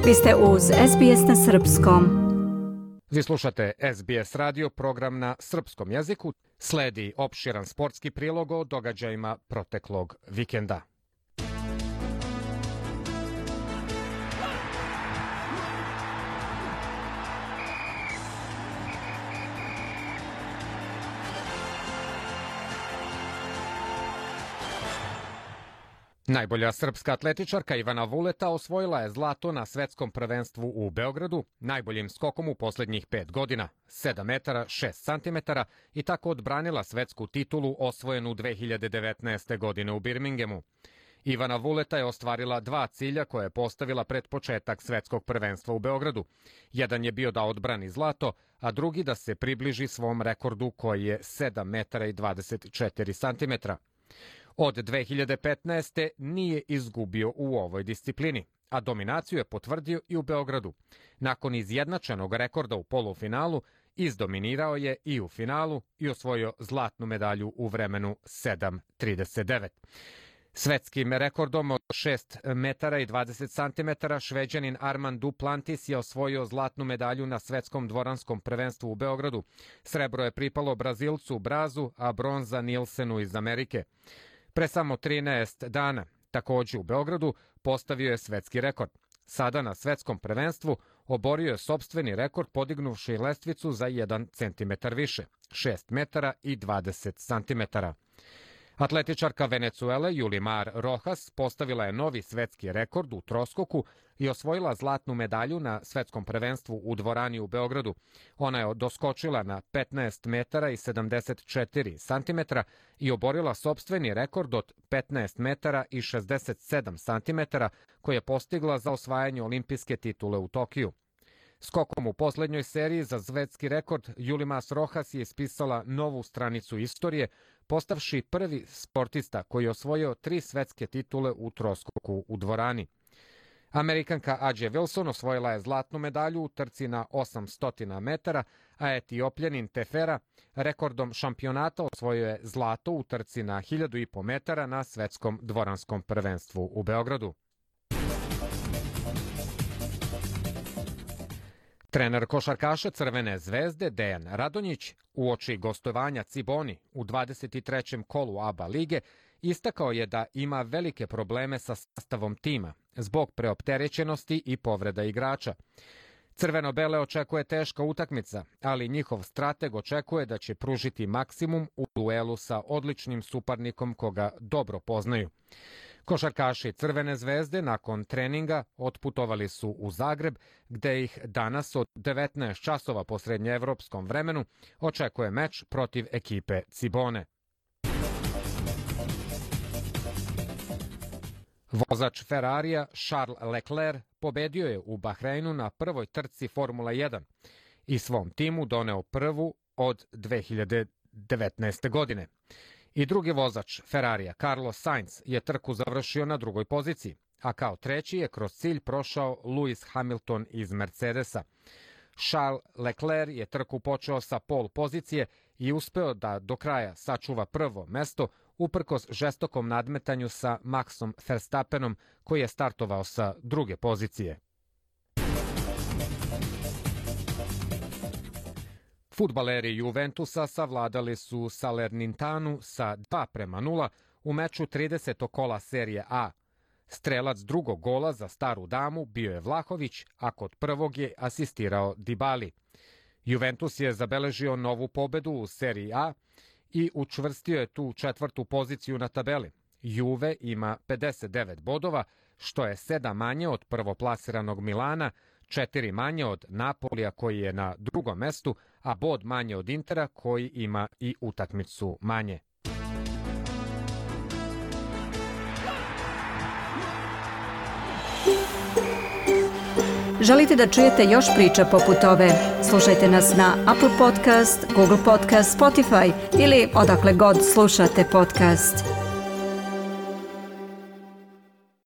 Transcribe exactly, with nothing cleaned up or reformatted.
Vi ste uz S B S na srpskom. Vi slušate S B S radio, program na srpskom jeziku. Sledi opširan sportski prilog o događajima proteklog vikenda. Najbolja srpska atletičarka Ivana Vuleta osvojila je zlato na svetskom prvenstvu u Beogradu, najboljim skokom u posljednjih pet godina, sedam metara šest centimetara, i tako odbranila svetsku titulu osvojenu dve hiljade devetnaeste. godine u Birminghamu. Ivana Vuleta je ostvarila dva cilja koje je postavila pred početak svetskog prvenstva u Beogradu. Jedan je bio da odbrani zlato, a drugi da se približi svom rekordu koji je sedam metara i dvadeset četiri centimetra. Od dve hiljade petnaeste. nije izgubio u ovoj disciplini, a dominaciju je potvrdio i u Beogradu. Nakon izjednačenog rekorda u polufinalu, izdominirao je i u finalu i osvojio zlatnu medalju u vremenu sedam trideset devet. Svetskim rekordom od šest metara i dvadeset centimetara Šveđanin Armand Duplantis je osvojio zlatnu medalju na svetskom dvoranskom prvenstvu u Beogradu. Srebro je pripalo Brazilcu Brazu, a bronza Nilsenu iz Amerike. Pre samo trinaest dana, također u Beogradu, postavio je svetski rekord. Sada na svetskom prvenstvu oborio je sopstveni rekord podignuvši lestvicu za jedan centimetar više, šest metara i dvadeset centimetara. Atletičarka Venecuele Yulimar Rojas postavila je novi svetski rekord u troskoku i osvojila zlatnu medalju na svetskom prvenstvu u dvorani u Beogradu. Ona je doskočila na petnaest metara i sedamdeset četiri centimetra i oborila sopstveni rekord od petnaest metara i šezdeset sedam centimetara koji je postigla za osvajanje olimpijske titule u Tokiju. Skokom u posljednjoj seriji za svetski rekord Yulimar Rojas je ispisala novu stranicu istorije, postavši prvi sportista koji je osvojio tri svetske titule u troskoku u dvorani. Amerikanka Ađe Wilson osvojila je zlatnu medalju u trci na osamsto metara, a Etiopljanin Tefera rekordom šampionata osvojio je zlato u trci na hiljadu i po metara na svetskom dvoranskom prvenstvu u Beogradu. Trener košarkaša Crvene zvezde Dejan Radonjić uoči gostovanja Ciboni u dvadeset trećem kolu A B A lige istakao je da ima velike probleme sa sastavom tima zbog preopterećenosti i povreda igrača. Crveno-bele očekuje teška utakmica, ali njihov strateg očekuje da će pružiti maksimum u duelu sa odličnim suparnikom koga dobro poznaju. Košarkaši Crvene zvezde nakon treninga otputovali su u Zagreb, gde ih danas od devetnaest časova po srednjeevropskom vremenu očekuje meč protiv ekipe Cibone. Vozač Ferrarija Charles Leclerc pobedio je u Bahreinu na prvoj trci Formula jedan i svom timu doneo prvu od dve hiljade devetnaeste. godine. I drugi vozač Ferrarija Carlos Sainz je trku završio na drugoj poziciji, a kao treći je kroz cilj prošao Lewis Hamilton iz Mercedesa. Charles Leclerc je trku počeo sa pol pozicije i uspeo da do kraja sačuva prvo mesto uprkos žestokom nadmetanju sa Maxom Verstappenom koji je startovao sa druge pozicije. Fudbaleri Juventusa savladali su Salernitanu sa dva prema nula u meču tridesetog kola serije A. Strelac drugog gola za staru damu bio je Vlahović, a kod prvog je asistirao Dybali. Juventus je zabeležio novu pobedu u seriji A i učvrstio je tu četvrtu poziciju na tabeli. Juve ima pedeset devet bodova, što je sedam manje od prvoplasiranog Milana, četiri manje od Napolija koji je na drugom mestu, a bod manje od Intera koji ima i utakmicu manje. Želite da čujete još priča poput ove? Slušajte nas na Apple Podcast, Google Podcast, Spotify ili odakle god slušate podcast.